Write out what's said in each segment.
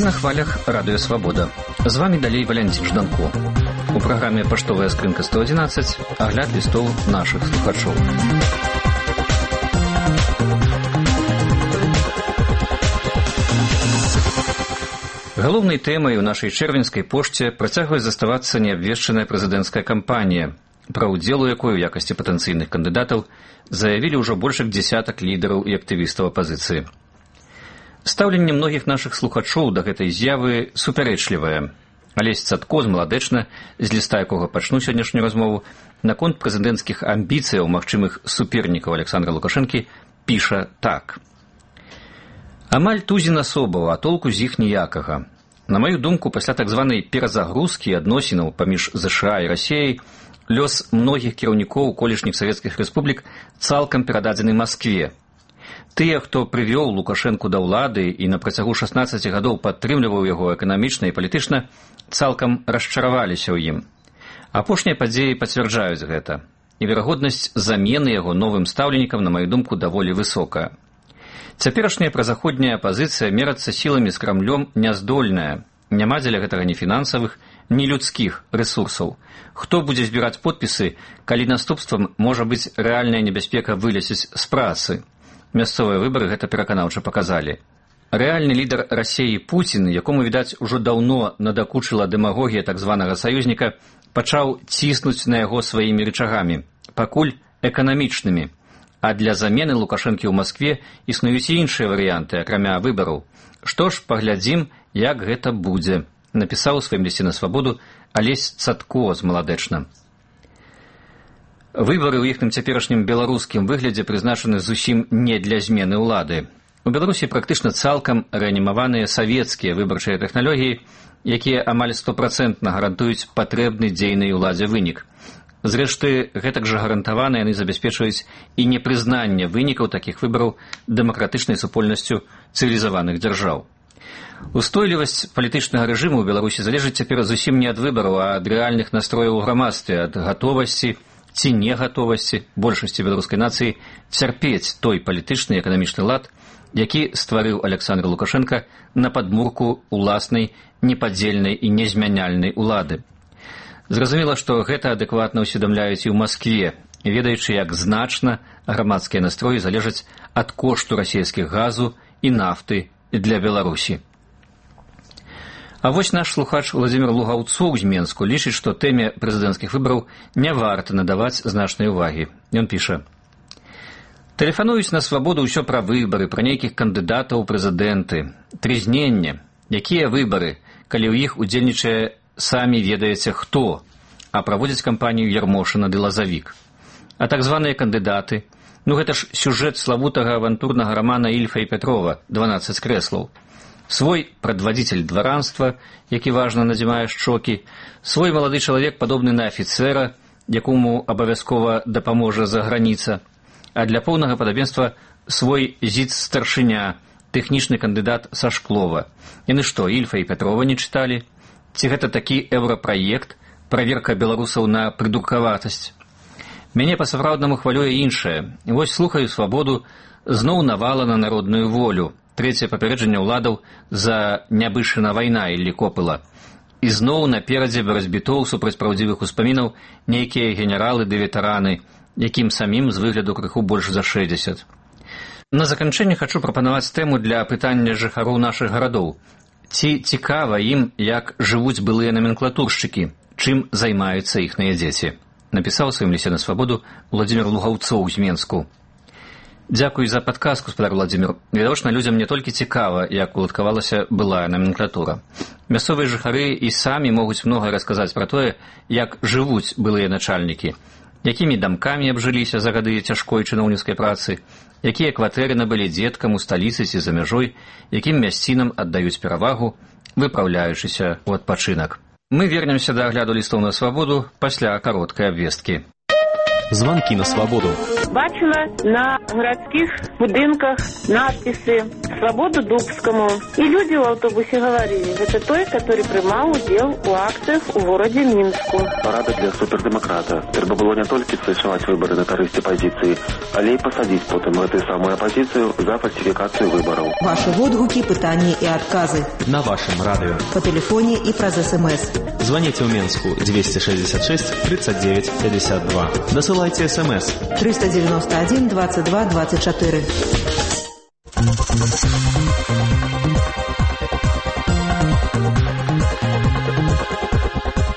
на хвалях Радыё Свабода. З вами далей Валянцін Жданко. У праграме «Паштовая скрынка 111» агляд лістоў нашых слухачоў. Галоўнай тэмай у нашай чэрвеньскай пошце працягвае заставацца неабвешчаная прэзідэнцкая кампанія, пра ўдзел у якой у якасці патэнцыйных кандыдатаў заявілі ўжо больш як дзесятак лідараў і актывістаў апазіцыі. Стаўленне многіх нашых слухачоў да гэтай з'явы супярэчлівае. Алесь Цатко з Маладэчна, з ліста якога пачну сённяшнюю размову, наконт прэзідэнцкіх амбіцыяў магчымых супернікаў Александра Лукашэнкі піша так. Амаль тузін асобаў, а толку з іх ніякага. На маю думку, пасля так званай перазагрузкі адносінаў паміж ЗША і Расіяй, лёс многіх кіраўнікоў колішніх савецкіх рэспублік цалкам перададзены Маскве. Тыя, хто прывёў Лукашэнку да ўлады і на працягу 16 гадоў падтрымліваў яго эканамічна і палітычна, цалкам расчараваліся ў ім. Апошнія падзеі пацвярджаюць гэта, і верагоднасць замены яго новым стаўленікам, на маю думку, даволі высокая. Цяперашняя празаходняя апазіцыя мерацца сіламі з Крамлём няздольная. Няма дзеля гэтага ні фінансавых, ні людскіх рэсурсаў. Хто будзе збіраць подпісы, калі наступствам можа быць рэальная небяспека вылезець з працы? Мясцовыя выбары гэта пераканаўча паказалі. Рэальны лідар Расіі Пуцін, якому, відаць, ужо даўно надакучыла дэмагогія так званага саюзніка, пачаў ціснуць на яго сваімі рычагамі, пакуль эканамічнымі. А для замены Лукашэнкі ў Маскве існуюць і іншыя варыянты, акрамя выбараў. Што ж, паглядзім, як гэта будзе, напісаў у сваім лісце на Свабоду Алесь Цатко з Маладэчна. Выбары ў іхным цяперашнім беларускім выглядзе прызначаны зусім не для змены ўлады. У Беларусі практычна цалкам рэанімаваныя савецкія выбарчыя тэхналогіі, якія амаль 100% гарантуюць патрэбны дзейнай уладзе вынік. Зрэшты, гэтак жа гарантавана яны забяспечваюць і непрызнанне вынікаў такіх выбараў дэмакратычнай супольнасцю цывілізаваных дзяржаў. Устойлівасць палітычнага рэжыму ў Беларусі залежыць цяпер зусім не ад выбараў, а ад рэальных настрояў у грамадстве, ад гатовасці ці негатовасці большасці беларускай нацыі цярпець той палітычны і эканамічны лад, які стварыў Александр Лукашенко на падмурку уласнай непадзельнай і незмяняльнай улады. Зразумела, што гэта адэкватна ўсведамляюць і ў Маскве, ведаючы, як значна грамадскія настроі залежаць ад кошту расійскіх газу і нафты для Беларусі. А вось наш слухач Владзімір Лугаўцоў з Менску лічыць, што тэме прэзідэнцкіх выбараў не варта надаваць значнай увагі. Ён піша: «Тэлефануюць на Свабоду ўсё пра выбары, пра нейкіх кандыдатаў у прэзідэнты. Трызненне. Якія выбары, калі ў іх удзельнічае самі ведаеце хто, а праводзяць кампанію Ярмошына ды Лазавік. А так званыя кандыдаты, гэта ж сюжэт славутага авантурнага рамана Ільфа і Петрова «12 крэслаў». Свой прадвадзіцель дваранства, які важна надзімае шчокі, свой малады чалавек, падобны на афіцэра, якому абавязкова дапаможа заграніца, а для поўнага падабенства свой зіц-старшыня, тэхнічны кандыдат са Шклова. Яны што, Ільфа і Петрова не чыталі? Ці гэта такі еўрапраект, праверка беларусаў на прыдуркаватасць? Мяне па-сапраўднаму хвалюе іншае. Вось слухаю Свабоду, зноў навала на народную волю. Трэцяе папярэджанне ўладаў за нябышына вайна Іллі Копыла. І зноў наперадзе барацьбітоў супраць праўдзівых успамінаў нейкія генералы ды ветэраны, якім самім з выгляду крыху больш за 60. На заканчэнне хачу прапанаваць тэму для апытання жыхароў нашых гарадоў. Ці цікава ім, як жывуць былыя наменклатуршчыкі, чым займаюцца іхныя дзеці, напісаў у сваім лісце на Свабоду Владзімір Лугаўцоў з Менску. Дзякуй за падказку, спадар Владзімір. Відавочна, людзям не толькі цікава, як уладкавалася былая наменклатура. Мясцовыя жыхары і самі могуць многае расказаць пра тое, як жывуць былыя начальнікі, якімі дамкамі абжыліся за гады цяжкой чыноўніцкай працы, якія кватэры набылі дзеткам у сталіцы ці за мяжой, якім мясцінам аддаюць перавагу, выпраўляючыся ў адпачынак. Мы вернемся да агляду лістоў на Свабоду пасля кароткай абвесткі. Звонки на свободу. Бачила на городских будинках надписи «Свободу Дубскому». И люди в автобусе говорили, это той, который принимал удел у акциях у городе Мінску. Парада для супердемократа. Треба было не только совершать выборы на користь оппозиции, але и посадить потом эту самую оппозицию за фальсификацию выборов. Ваши отгуки, пытания и отказы. На вашем радио. По телефоне и про СМС. Звоните в Минску 266 39 52. Досылайте СМС 391 22 24.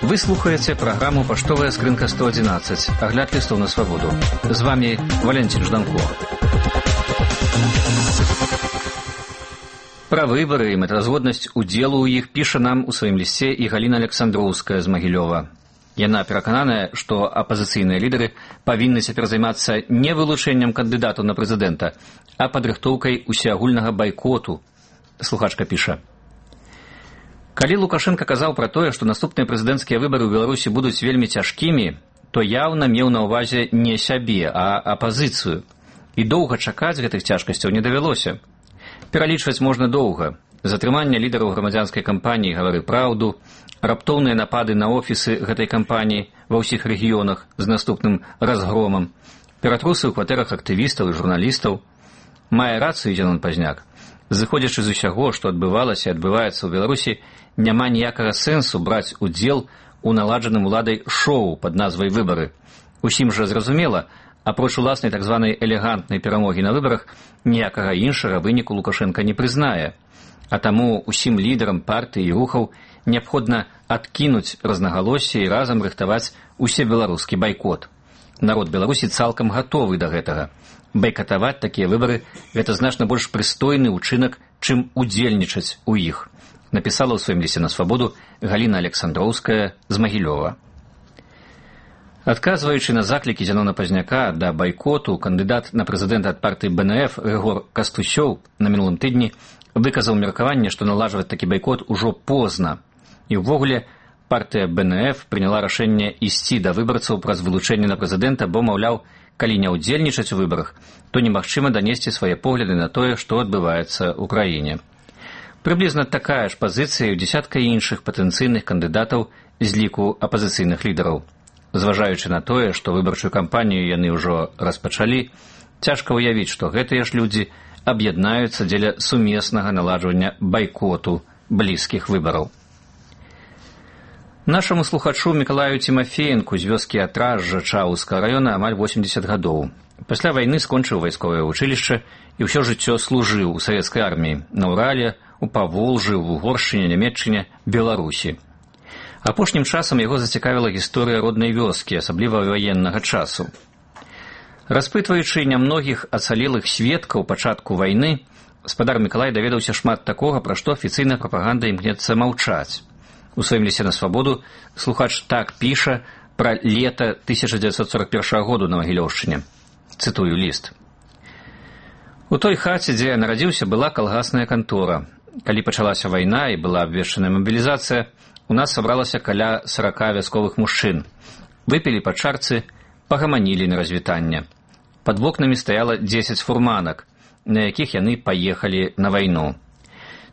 Вы слухаете программу «Поштовая скринка 111». Огляд листов на свободу. С вами Валентин Жданко. Пра выбары і мэтазгоднасць удзелу ў іх піша нам у сваім лісце і Галіна Александроўская з Магілёва. Яна перакананая, што апазіцыйныя лідары павінны цяпер займацца не вылучэннем кандыдатаў на прэзідэнта, а падрыхтоўкай усеагульнага байкоту. Слухачка піша. Калі Лукашенко казаў пра тое, што наступныя прэзідэнцкія выбары ў Беларусі будуць вельмі цяжкімі, то яўна меў на ўвазе не сябе, а апазіцыю. І доўга чакаць гэтых цяжкасцяў не давялося. Пералічваць можна доўга. Затрыманне лідараў грамадзянскай кампаніі «Гавары праўду», раптоўныя напады на офісы гэтай кампаніі ва ўсіх рэгіёнах з наступным разгромам, ператрусы ў кватэрах актывістаў і журналістаў. Мае рацыю Зенон Пазняк. Зыходзячы з усяго, што адбывалася і адбываецца ў Беларусі, няма ніякага сэнсу браць удзел у наладжаным уладай шоу пад назвай «Выбары». Усім жа зразумела, апроч уласнай так званай элегантнай перамогі на выбарах, ніякага іншага выніку Лукашенка не прызнае. А таму усім лідарам партыі і рухаў неабходна адкінуць рознагалоссі і разам рыхтаваць усебеларускі байкот. Народ Беларусі цалкам гатовы да гэтага. Байкатаваць такія выбары – гэта значна больш прыстойны ўчынак, чым удзельнічаць у іх. Напісала ў сваім лісце на свабоду Галіна Александроўская з Магілёва. Адказваючы на заклікі Зенона Пазняка да байкоту, кандыдат на прэзідэнта ад партыі БНФ Рыгор Кастусёў на мінулым тыдні выказаў меркаванне, што налажваць такі байкот ужо позна. І ўвогуле партыя БНФ прыняла рашэнне ісці да выбарцаў праз вылучэнне на прэзідэнта, бо, маўляў, калі не ўдзельнічаць у выбарах, то немагчыма данесці свае погляды на тое, што адбываецца ў краіне. Прыблізна такая ж пазіцыя і ў дзесятка іншых патэнцыйных кандыдатаў з ліку апазіцыйных лідараў. Зважаючы на тое, што выбарчую кампанію яны ўжо распачалі, цяжка ўявіць, што гэтыя ж людзі аб'яднаюцца дзеля сумеснага наладжвання байкоту блізкіх выбараў. Нашаму слухачу Мікалаю Тимофеенку з вёскі Атражжа Чаўскага раёна амаль 80 гадоў. Пасля вайны скончыў вайсковае вучылішча і ўсё жыццё служыў у савецкай арміі на Урале, у Паволжы, в Угоршчыне, Нямецчыне, Беларусі. Апошнім часам яго зацікавіла гісторыя роднай вёскі, асабліва ваеннага часу. Распытваючы нямногіх ацалелых сведкаў пачатку вайны, спадар Мікалай даведаўся шмат такога, пра што афіцыйная прапаганда імкнецца маўчаць. У сваім лісце на свабоду слухач так піша пра лета 1941 году на Магілёўшчыне. Цытую ліст. У той хаце, дзе я нарадзіўся, была калгасная кантора. Калі пачалася вайна і была абвешчаная мабілізацыя, у нас сабралася каля 40 вясковых мужчын. Выпілі па чарцы, пагаманілі на развітанне. Пад вокнамі стаяла 10 фурманак, на якіх яны паехалі на вайну.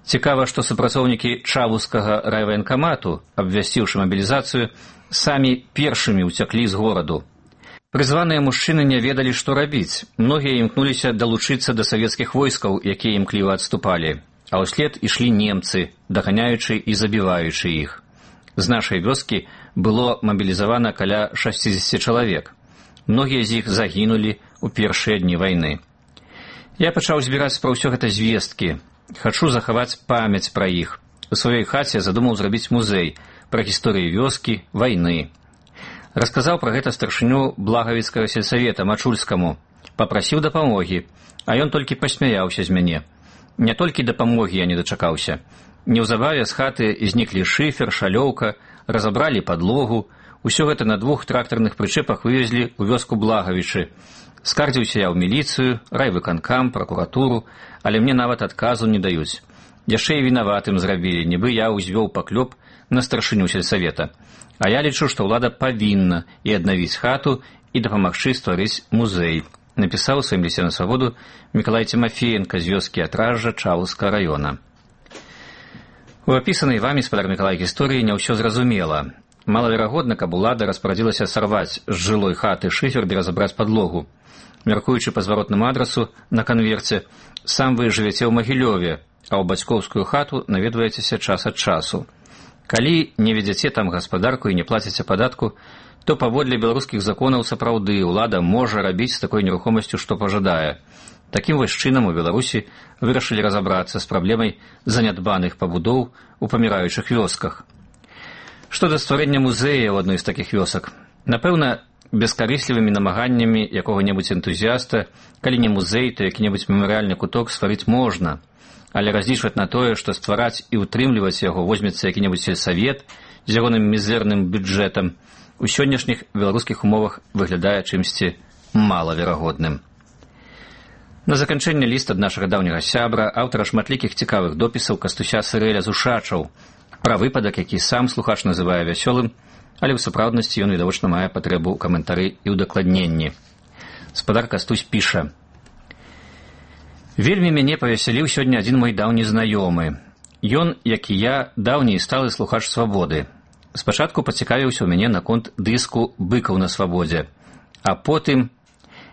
Цікава, што супрацоўнікі Чавускага райваенкамату, абвясціўшы мабілізацыю, самі першымі ўцяклі з гораду. Прызваныя мужчыны не ведалі, што рабіць. Многія імкнуліся далучыцца да савецкіх войскаў, якія імкліва адступалі. А ўслед ішлі немцы, даганяючы і забіваючы іх. З нашай вёскі было мабілізавана каля 60 чалавек. Многія з іх загінулі ў першыя дні вайны. Я пачаў збіраць пра ўсё гэта звесткі. Хачу захаваць памяць пра іх. У сваёй хаце задумаў зрабіць музей пра гісторыю вёскі, вайны. Расказаў пра гэта старшыню Благавіцкага сельсавета Мачульскаму. Папрасіў дапамогі, а ён толькі пасмяяўся з мяне. Не толькі дапамогі я не дачакаўся. Неўзабаве з хаты зніклі шыфер, шалёўка, разабралі падлогу. Усё гэта на 2 трактарных прычэпах вывезлі ў вёску Благавічы. Скардзіўся я ў міліцыю, райвыканкам, пракуратуру, але мне нават адказу не даюць. Яшчэ і вінаватым зрабілі, нібы я ўзвёў паклёп на старшыню сельсавета. А я лічу, што ўлада павінна і аднавіць хату, і дапамагчы стварыць музей, напісаў у сваім лісце на свабоду Мікалай Цімафеенка з вёскі Атражжа Чалаўскага раёна. У апісанай вамі, спадар Мікалай, гісторыі не ўсё зразумела. Малаверагодна, каб улада распарадзілася сарваць з жылой хаты шыфер ды разабраць падлогу. Мяркуючы па зваротнаму адрасу на канверце, сам вы жывяце ў Магілёве, а ў бацькоўскую хату наведваецеся час ад часу. Калі не ведзяце там гаспадарку і не плаціце падатку, то паводле беларускіх законаў сапраўды ўлада можа рабіць з такой нерухомасцю, што пажадае. Такім вось чынам у Беларусі вырашылі разабрацца з праблемай занядбаных пабудоў у паміраючых вёсках. Што да стварэння музея ў адной з такіх вёсак? Напэўна, бескарыслівымі намаганнямі якога-небудзь энтузіяста, калі не музей, то які-небудзь мемарыяльны куток стварыць можна, але разлічваць на тое, што ствараць і ўтрымліваць яго возьмецца які-небудзь сельсавет з ягоным мізэрным бюджэтам, у сённяшніх беларускіх умовах выглядае чымсьці малаверагодным. На заканчэнне ліст ад нашага даўняга сябра, аўтара шматлікіх цікавых допісаў Кастуся Сырэля з Ушачаў, пра выпадак, які сам слухач называе вясёлым, але ў сапраўднасці ён відавочна мае патрэбу ў каментары і ўдакладненні. Спадар Кастусь піша: «Вельмі мяне павесяліў сёння адзін мой даўні знаёмы. Ён, як і я, даўні і сталы слухач свабоды. Спачатку пацікавіўся ў мяне наконт дыску «Быкаў на свабодзе», а потым,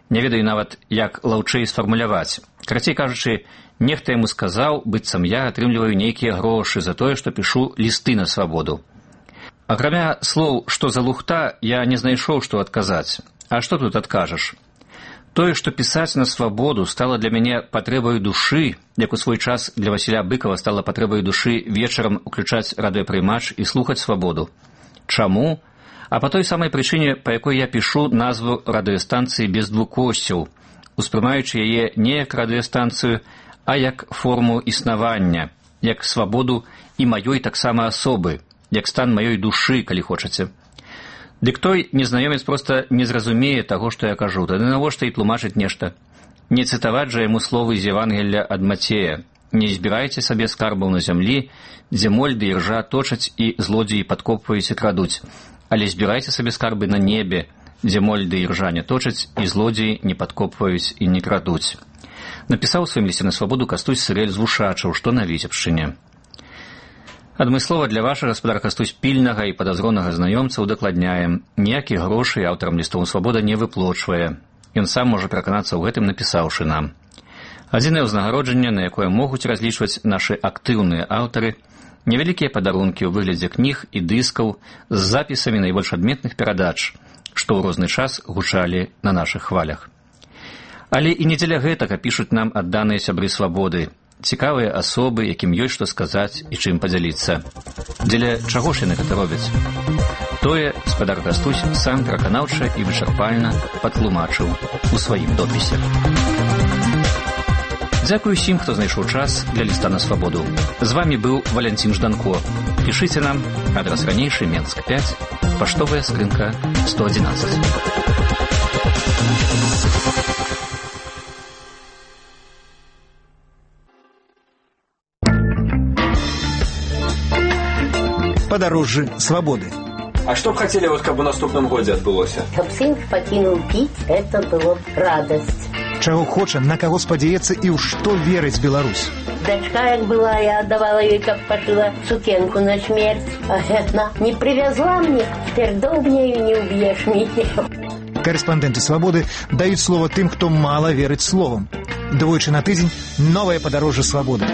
не ведаю нават, як лаўчэй сфармуляваць. Карацей кажучы, нехта яму сказаў, быццам я атрымліваю нейкія грошы за тое, што пішу лісты на свабоду. Акрамя слоў «што за лухта» я не знайшоў, што адказаць. А што тут адкажаш? Тое, што пісаць на свабоду стала для мяне патрэбаю душы, як у свой час для Васіля Быкава стала патрэбаю душы вечарам уключаць радыёпрымач і слухаць свабоду. Чаму? А па той самай прычыне, па якой я пішу назву радыёстанцыі без двукосцяў, успрымаючы яе не як радыёстанцыю, а як форму існавання, як свабоду і маёй таксама асобы, як стан маёй душы, калі хочаце. Дык той незнаёмец проста не зразумее таго, што я кажу, тады навошта і тлумачыць нешта. Не цытаваць жа яму словы з Евангелля ад Мацея: «Не збірайце сабе скарбаў на зямлі, дзе моль ды іржа точаць і злодзеі падкопваюць і крадуць, але збірайце сабе скарбы на небе, дзе моль ды іржа не точаць і злодзеі не падкопваюць і не крадуць». Напісаў у сваім лісце на свабоду Кастусь Сырэль з Вушачаў, што на Віцебшчыне. Адмыслова для вашага, гаспадар Кастусь, пільнага і падазронага знаёмца удакладняем: ніякіх грошай аўтарам лістоў свабода не выплочвае. Ён сам можа пераканацца ў гэтым, напісаўшы нам. Адзінае ўзнагароджанне, на якое могуць разлічваць нашы актыўныя аўтары, невялікія падарункі ў выглядзе кніг і дыскаў з запісамі найбольш адметных перадач, што ў розны час гучалі на нашых хвалях. Але і не дзеля гэтага пішуць нам адданыя сябры свабоды, цікавыя асобы, якім ёсць што сказаць і чым падзяліцца. Дзеля чаго ж яны гэта робяць? Тое спадар Кастусь сам пераканаўча і вычарпальна патлумачыў у сваім допісе. Дзякую усім, хто знайшоў час для ліста на свабоду. З вамі быў Валянцін Жданко. Пішыце нам, адрас ранейшы, Менск 5, паштовая скрынка 111. Падарожжы свабоды. А што б хацелі, каб у наступным годзе адбылося? Каб сын пакінуў піць, это было б радасць. Чаго хоча, на каго спадзяецца і ў што верыць Беларусь. Дачка, як была, я аддавала ёй, каб пашыла сукенку на смерць. А яна не привязла мне, цяпер доўбняю не ўб'еш мяне. Карэспандэнты свабоды даюць слова тым, хто мала верыць словам. Двойчы на тыдзень новае падарожжа свабоды.